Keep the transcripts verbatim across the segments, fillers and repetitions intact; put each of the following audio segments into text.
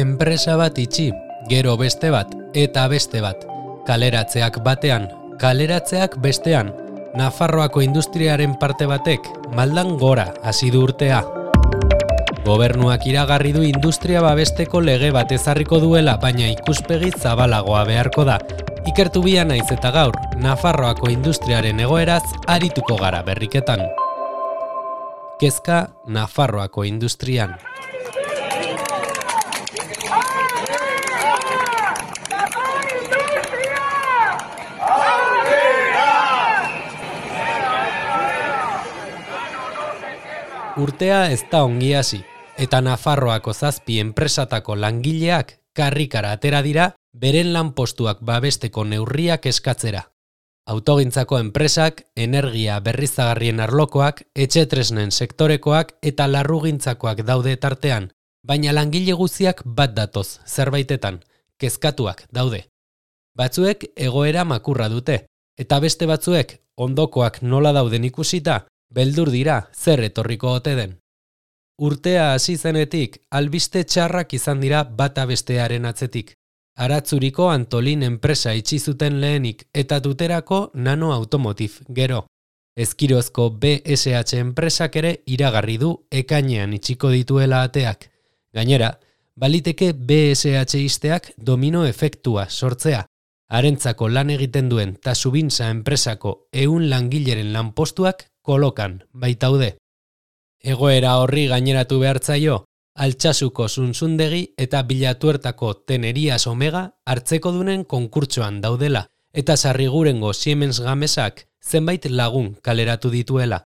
enpresa bat itxi, gero beste bat, eta beste bat. Kaleratzeak batean, kaleratzeak bestean. Nafarroako industriaren parte batek maldan gora hasi du urtea. Gobernuak iragarri du industria babesteko lege bat ezarriko duela, baina ikuspegi zabalagoa beharko da. Ikertu bia naiz eta gaur, Nafarroako industriaren egoeraz arituko gara berriketan. Kezka Nafarroako industrian. Urtea ez da ongi hasi, eta Nafarroako zazpi enpresatako langileak karrikara atera dira beren lanpostuak babesteko neurriak eskatzera. Autogintzako enpresak, energia berriztagarrien arlokoak, etxetresnen sektorekoak eta larrugintzakoak daude tartean, baina langile guztiak bat datoz, zerbaitetan, kezkatuak daude. Batzuek egoera makurra dute, eta beste batzuek ondokoak nola dauden ikusita, beldur dira zer etorriko ote den. Urtea hasi zenetik albiste txarrak izan dira bata bestearen atzetik. Aratzuriko Antolin enpresa itxi zuten lehenik eta Tuterako Nano Automotive gero. Ezkirozko B S H enpresak ere iragarri du ekainean itxiko dituela ateak. Gainera, baliteke B S H isteak domino efektua sortzea. Harentzako lan egiten duen Tasubintza enpresako ehun langileren lanpostuak kolokan baitaude. Egoera horri gaineratu behartzaio, Altsasuko Zunzundegi eta Bilatuertako Tenerias Omega hartzekodunen konkurtsoan daudela, eta Sarrigurengo Siemens Gamesak zenbait lagun kaleratu dituela.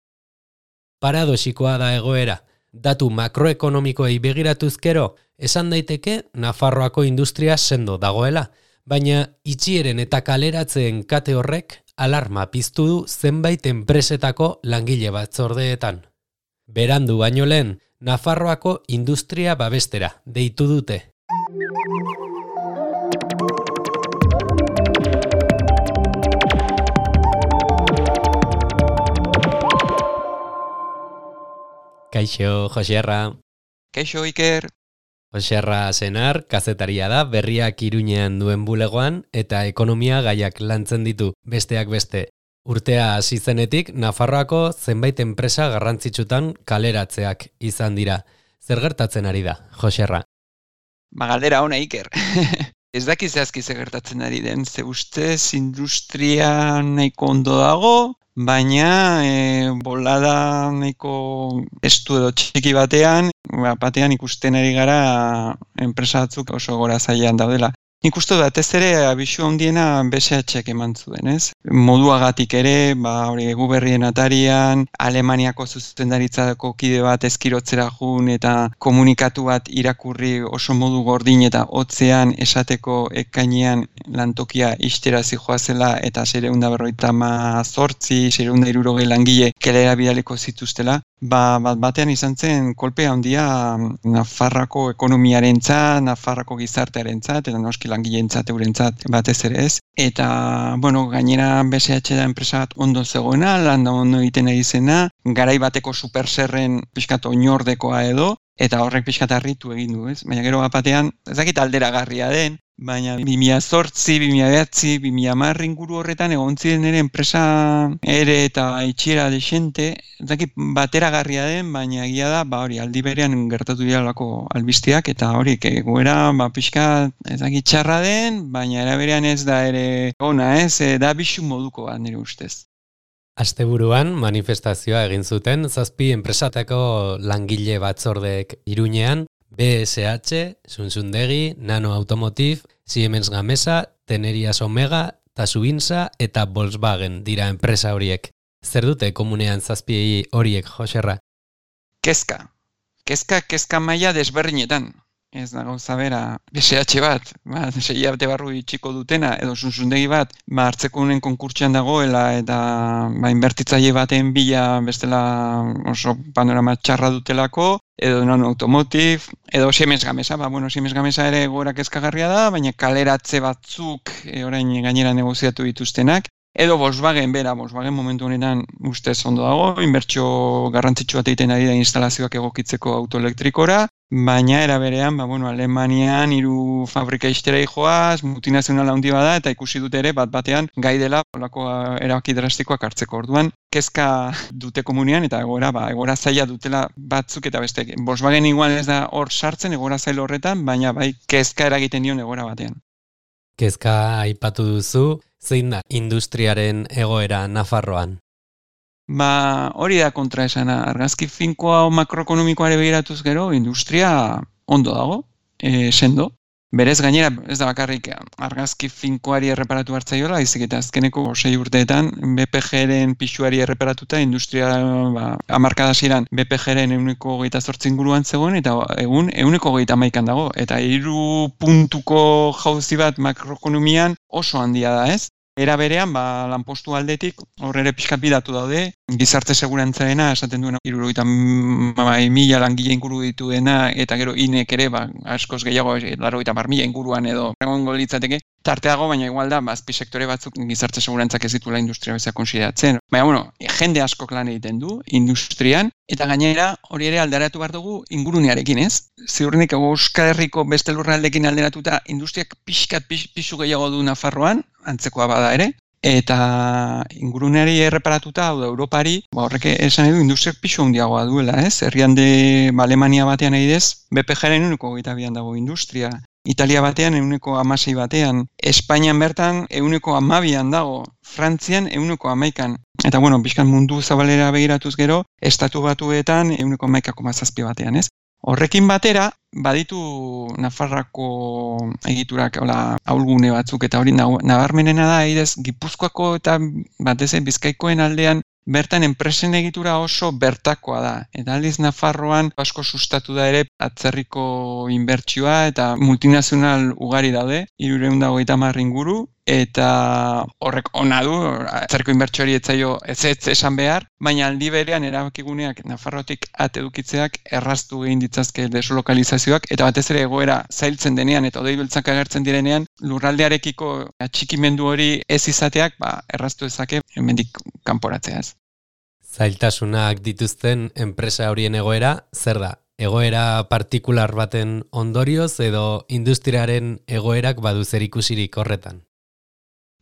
Paradoxikoa da egoera, datu makroekonomikoei begiratuzkero, esan daiteke Nafarroako industria sendo dagoela, baina itxieren eta kaleratzeen kate horrek alarma piztu du zenbait enpresetako langile batzordeetan. Berandu baino lehen, Nafarroako industria babestera deitu dute. Kaixo, Josierra. Kaixo, Iker. Josierra Senar, kazetaria da, berriak Iruñean duen bulegoan eta ekonomia gaiak lantzen ditu, besteak beste. Urtea hasi zenetik, Nafarroako zenbait enpresa garrantzitsutan kaleratzeak izan dira. Zer gertatzen ari da, Josierra? Ba, galdera ona, Iker. Ez dakiz zehazki zer gertatzen ari den, ze ustez industria nahiko ondo dago, baina e, bolada nahiko estu edo txiki batean, batean ikusten ari gara enpresa batzuk oso gora zailan daudela. Nik uste batez ere abisu handiena B S H-ek eman zuen, ez? Moduagatik ere, ba, hori egu berrien atarian, Alemaniako zuzendaritzako kide bat ezkirotzera jun eta komunikatu bat irakurri oso modu gordin eta hotzean esateko ekainean lantokia ixtera zijoazela eta seiehun eta berrogeita zortzi, seiehun eta hirurogei langile kelera bidaliko zituztela. Ba, bat batean izan zen kolpea handia Nafarrako ekonomiarentzat, Nafarrako gizartearentzat eta noski langileentzat eurentzat batez ere ez. Eta, bueno, gainera B S H da enpresa bat ondo zegoena, lan da ondo egiten ari zena, garai bateko superserren pixkat oinordekoa edo, eta horrek pixkat harritu egin du, ez? Baina gero bat batean, ez dakit alderagarria den, baina bi mila zortzi, bi mila bederatzi, bi mila hamar inguru horretan egon ziren ere enpresa ere eta itxiera desente, ez dakit bateragarria den, baina egia da, ba hori, aldi berean gertatu direlako albisteak, eta hori, egoera, ba pixka, ez dakit txarra den, baina era berean ez da ere ona, ez, da bisu moduko bat nire ustez. Asteburuan manifestazioa egin zuten zazpi enpresatako langile batzordeek Iruñean, B S H, Zunzundegi, Nano Automotive, Siemens Gamesa, Tenerias Omega, Tasubintza eta Volkswagen dira enpresa horiek. Zer dute komunean zazpi horiek, Josierra? Kezka. Kezka, kezka maila desberdinetan. Ez da gauza bera, B S H bat, ba, sei hilabete barru itxiko dutena, edo Zunzundegi bat, ba, hartzeko unen konkurtsean dagoela, eta ba, inbertitzaile baten bila bestela oso panorama txarra dutelako, edo Nano Automotive, edo Siemens Gamesa, ba, bueno, Siemens Gamesa ere gora kezkagarria da, baina kaleratze batzuk e, orain gainera negoziatu dituztenak, edo Volkswagen bera, Volkswagen momentu honetan ustez ondo dago, inbertsio garrantzitsu bat egiten ari da instalazioak egokitzeko autoelektrikora, baina era berean, ba, bueno, Alemanian hiru fabrika ixtera joaz, multinazional handi bada, eta ikusi dute ere bat batean gai dela holako erabaki drastikoak hartzeko. Orduan, kezka dute komunian, eta egoera, ba, egoera zaila dutela batzuk eta bestek. Volkswagen igual ez da hor sartzen egoera zail horretan, baina bai kezka eragiten dion egoera batean. Kezka aipatu duzu, zein da industriaren egoera Nafarroan? Ba, hori da kontraesana. Argazki finkoa o makroekonomikoare begiratuz gero, industria ondo dago, e, sendo. Berez gainera, ez da bakarrik argazki finkoari erreparatu hartzaiola, izik eta azkeneko sei urteetan B P G-ren pixuari erreparatuta, industria ba, hamarkadasiran B P G-ren ehuneko hogeita zortzi inguruan zegoen, eta egun ehuneko hogeita hamaikan dago. Eta hiru puntuko jauzi bat makroekonomian oso handia da, ez? Era berean, ba, lanpostu aldetik, hor ere pixkat bidatu daude, gizarte segurantzarena, esaten duena, hirurogeita mila langile inguru dituena, eta gero inek ere, ba, askoz gehiago, laurogeita hamar mila inguruan edo, egongo litzateke, tarteago, baina igual da, ba, azpi sektore batzuk gizarte segurantzak ez ditula industria bezala konsideratzen. Baina, bueno, jende askok lan egiten du, industrian, eta gainera hori ere alderatu behar dugu ingurunearekin, ez? Ziurrenik Euskal Herriko beste lurraldekin alderatuta industriak pixkat pix, pixu gehiago du Nafarroan, antzekoa bada ere, eta inguruneari erreparatuta, hau da, Europari, ba, horrek esan edu industriak pixu handiagoa duela, ez? Herrialde ba, Alemania batean egidez, B P G-ren ehuneko hogeita bian dago industria. Italia batean ehuneko hamasei batean, Espainian bertan ehuneko hamabian dago, Frantzian ehuneko hamaikan. Eta bueno, pixkan mundu zabalera begiratuz gero, estatu batuetan ehuneko hamaika koma zazpi batean, ez? Horrekin batera, baditu Nafarrako egiturak hola ahulgune batzuk, eta hori nabarmenena da, idez, Gipuzkoako eta batez ere Bizkaikoen aldean bertan enpresen egitura oso bertakoa da. Eta aldiz Nafarroan asko sustatu da ere atzerriko inbertsioa eta multinazional ugari daude, hirurehun eta hogeita hamar inguru, eta horrek ona du, atzerriko inbertsioari etzaio ez ez esan behar, baina aldi berean erabakiguneak Nafarrotik at edukitzeak erraztu egin ditzazke deslokalizazioak, eta batez ere egoera zailtzen denean eta odei beltzak agertzen direnean, lurraldearekiko atxikimendu hori ez izateak, ba, erraztu ezake hemendik kanporatzeaz. Zailtasunak dituzten enpresa horien egoera, zer da? Egoera partikular baten ondorioz edo industriaren egoerak badu zerikusirik horretan?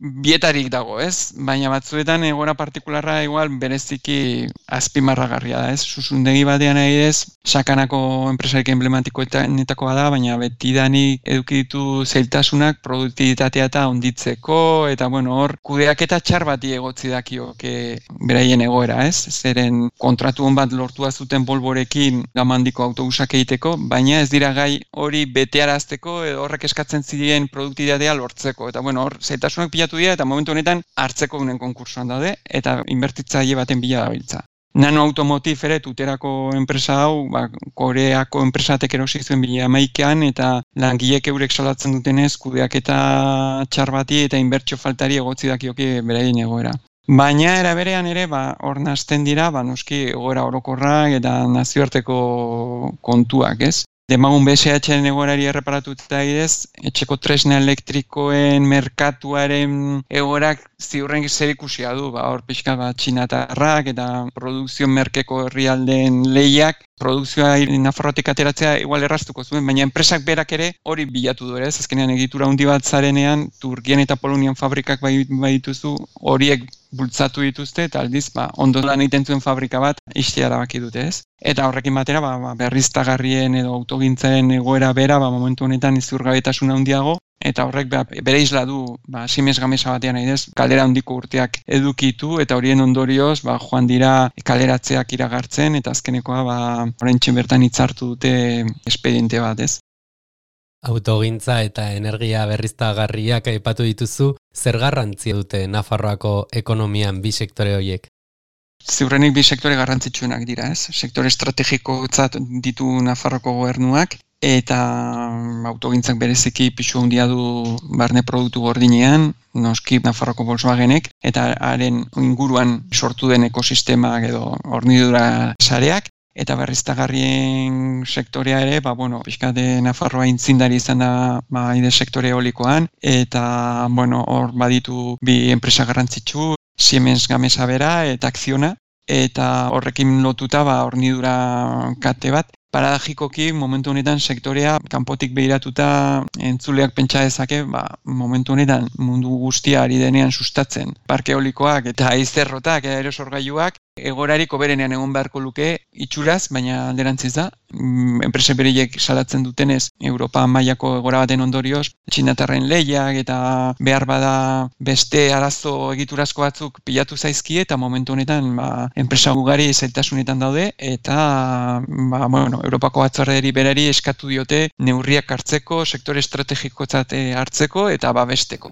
Bietarik dago, ez? Baina batzuetan egoera partikularra igual bereziki azpimarragarria da, ez? Susundegi batean adibidez, sakanako enpresarik emblematikoetakoa da, baina betidanik eduki ditu zailtasunak produktibitatea eta onditzeko, eta bueno, hor kudeaketa txar bati egotzi dakioke beraien egoera, ez? Zeren kontratu on bat lortua zuten Volvorekin gamandiko autobusak egiteko, baina ez dira gai hori betearazteko edo horrek eskatzen ziren produktibitatea lortzeko, eta bueno, hor zailtasunak pilatu dira eta momentu honetan hartzeko unen konkursoan daude eta inbertitzaile baten bila dabiltza. Nano Automotive ere tuterako enpresa hau, ba, Koreako enpresatek erosi zuen bila hamaikaan eta langilek eurek salatzen dutenez kudeaketa txar bati eta inbertsio faltari egotzi dakioke beraien egoera. Baina era berean ere, ba, hor nazten dira, ba, noski egoera orokorrak eta nazioarteko kontuak, ez? Demagun B S H-en egoerari erreparatuta idez, etxeko tresna elektrikoen merkatuaren egoerak ziurren zerikusia du, ba, hor pixka bat txinatarrak eta produkzio merkeko herrialdeen lehiak, produkzioa Nafarrotik ateratzea igual erraztuko zuen, baina enpresak berak ere hori bilatu du ere, ez azkenean egitura handi bat zarenean, Turkian eta Polonian fabrikak bai, bai dituzu, horiek bultzatu dituzte, eta aldiz, ba, ondo lan egiten zuen fabrika bat, istea erabaki dute, ez? Eta horrekin batera, ba, ba, berriztagarrien edo autogintzaren egoera bera, ba, momentu honetan izurgabetasuna handiago, eta horrek ba, bere isla du, ba, Siemens Gamesa batean nahi kalera handiko urteak edukitu, eta horien ondorioz, ba, joan dira kaleratzeak iragartzen, eta azkenekoa, ba, oraintxe bertan hitzartu dute espediente bat, ez? Autogintza eta energia berriztagarriak aipatu dituzu, zer garrantzia dute Nafarroako ekonomian bi sektore horiek? Ziurrenik bi sektore garrantzitsuenak dira, ez? Sektore estrategikotzat ditu Nafarroko gobernuak, eta autogintzak bereziki pisu handia du barne produktu gordinean, noski Nafarroko Volkswagenek, eta haren inguruan sortu den ekosistemak edo hornidura sareak, eta berriztagarrien sektorea ere, ba, bueno, pixkate Nafarroa intzindari izan da ba, ide sektore eolikoan, eta, bueno, hor baditu bi enpresa garrantzitsu, Siemens Gamesa bera eta Acciona, eta horrekin lotuta ba, hornidura kate bat, paradajikoki momentu honetan sektorea kanpotik behiratuta entzuleak pentsa dezake, ba, momentu honetan mundu guztia ari denean sustatzen parke eolikoak eta haizerrotak, aerosorgailuak, egorarik hoberenean egon beharko luke itxuraz, baina alderantziz da. Enpresa bereiek salatzen dutenez, Europa mailako egora baten ondorioz, txinatarren lehiak eta behar bada beste arazo egiturazko batzuk pilatu zaizkie eta momentu honetan ba, enpresa ugari zailtasunetan daude eta ba, bueno, Europako batzorderi berari eskatu diote neurriak hartzeko, sektore estrategikotzat hartzeko eta babesteko.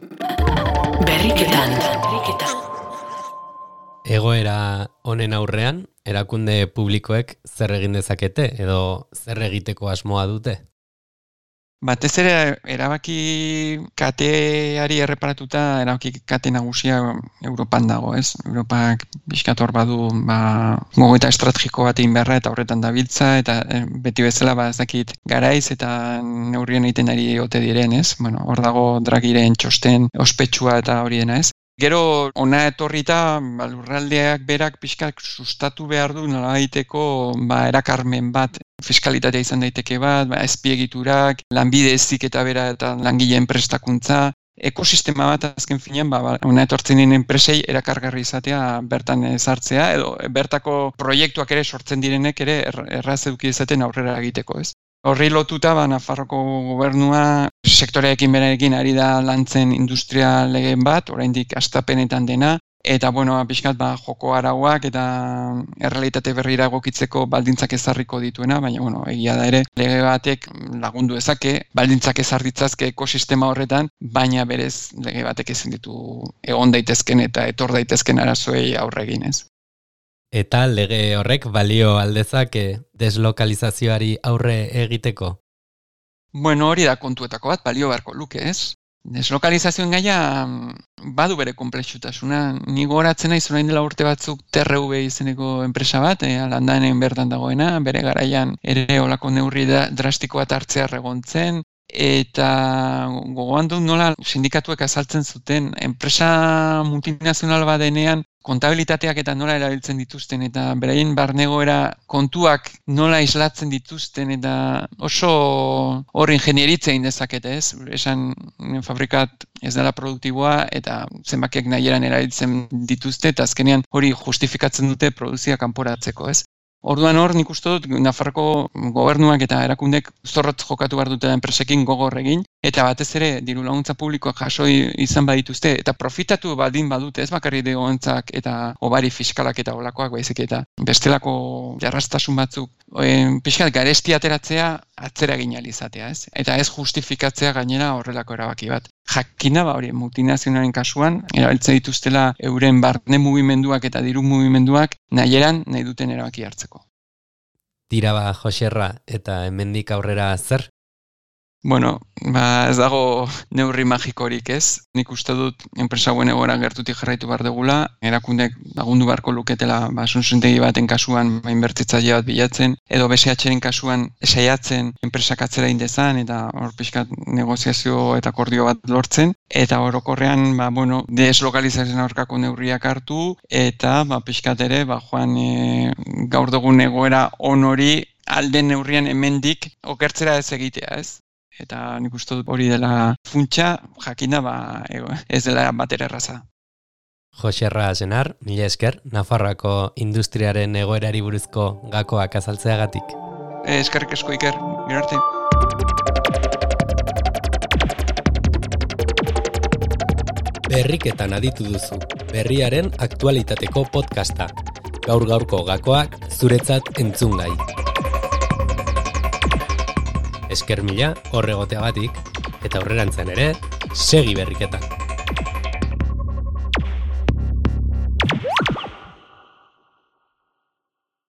Berriketan, berriketan. Egoera honen aurrean, erakunde publikoek zer egin dezakete edo zer egiteko asmoa dute? Batez ere, erabaki kateari erreparatuta, erabaki kate nagusia Europan dago, ez? Europak bizkator badu ba, gogoeta estrategiko bat egin beharra eta horretan dabiltza, eta e, beti bezala ba, ez dakit garaiz eta neurrien egiten ari ote diren, ez? Bueno, hor dago Dragiren txosten ospetsua eta hori dena, ez? Gero, ona etorrita, ba, lurraldeak berak pixkak sustatu behar du nolabaiteko ba, erakarmen bat, fiskalitatea izan daiteke bat, ba, azpiegiturak, lanbide heziketa bera eta langileen prestakuntza, ekosistema bat azken finean, ba, ba, ona etortzenen enpresei erakargarri izatea bertan ezartzea, edo bertako proiektuak ere sortzen direnek ere erraz eduki izaten aurrera egiteko, ez? Horri lotuta, ba, Nafarroko gobernua sektoreekin berarekin ari da lantzen industria legeen bat, oraindik hastapenetan dena, eta bueno, pixkat ba, joko arauak eta errealitate berrira egokitzeko baldintzak ezarriko dituena, baina bueno, egia da ere lege batek lagundu dezake, baldintzak ezar ditzazke ekosistema horretan, baina berez lege batek ezin ditu egon daitezken eta etor daitezken arazoei aurre egin, ez. Eta lege horrek balio aldezake deslokalizazioari aurre egiteko? Bueno, hori da kontuetako bat, balio beharko luke, ez? Deslokalizazioen gaia badu bere konplexutasuna. Ni gogoratzen naiz orain dela urte batzuk T R V izeneko enpresa bat, e, Landanen bertan dagoena, bere garaian ere olako neurri drastiko bat hartzea egontzen, eta gogoan dut nola sindikatuek azaltzen zuten enpresa multinazional bat denean kontabilitateak eta nola erabiltzen dituzten eta beraien barnegoera kontuak nola islatzen dituzten eta oso hor ingenieritzea indezakete, ez? Esan fabrikat ez dela produktiboa eta zenbakiak nahieran erabiltzen dituzte eta azkenean hori justifikatzen dute produzia kanporatzeko, ez? Orduan hor, nik uste dut, Nafarroko gobernuak eta erakundek zorrotz jokatu behar dute enpresekin gogor egin, eta batez ere diru laguntza publikoak jaso izan badituzte, eta profitatu baldin badute, ez bakarri degontzak eta obari fiskalak eta olakoak baizik eta bestelako jarrastasun batzuk, oen, pixkat garesti ateratzea atzera egin ahal izatea, ez? Eta ez justifikatzea gainera horrelako erabaki bat. Jakina, ba hori, multinazionalen kasuan, erabiltzen dituztela euren barne mugimenduak eta diru mugimenduak nahieran nahi duten erabaki hartzeko. Tira ba, Joserra, eta hemendik aurrera zer? Bueno, ba ez dago neurri magikorik, ez? Nik uste dut enpresa hauen egoera gertutik jarraitu behar dugula, erakundek lagundu beharko luketela ba suntsentegi baten kasuan ba inbertitzaile bat bilatzen, edo B S H-ren kasuan saiatzen enpresak atzera indezan eta hor pixkat negoziazio eta akordio bat lortzen, eta orokorrean ba bueno, deslokalizazioen aurkako neurriak hartu eta ba pixkat ere ba joan e, gaur dugun egoera on hori alden neurrian hemendik okertzera ez egitea, ez? Eta nik uste dut hori dela funtsa, jakinda ba, ez dela batera erraza. Joserra Senar, mila esker, Nafarroako industriaren egoerari buruzko gakoak azaltzeagatik. Eskerrik asko Iker, gero arte. Berriketan aditu duzu, berriaren aktualitateko podcasta. Gaur gaurko gakoak zuretzat entzungai. Esker mila horregoteagatik, eta aurrerantzean ere, segi berriketan.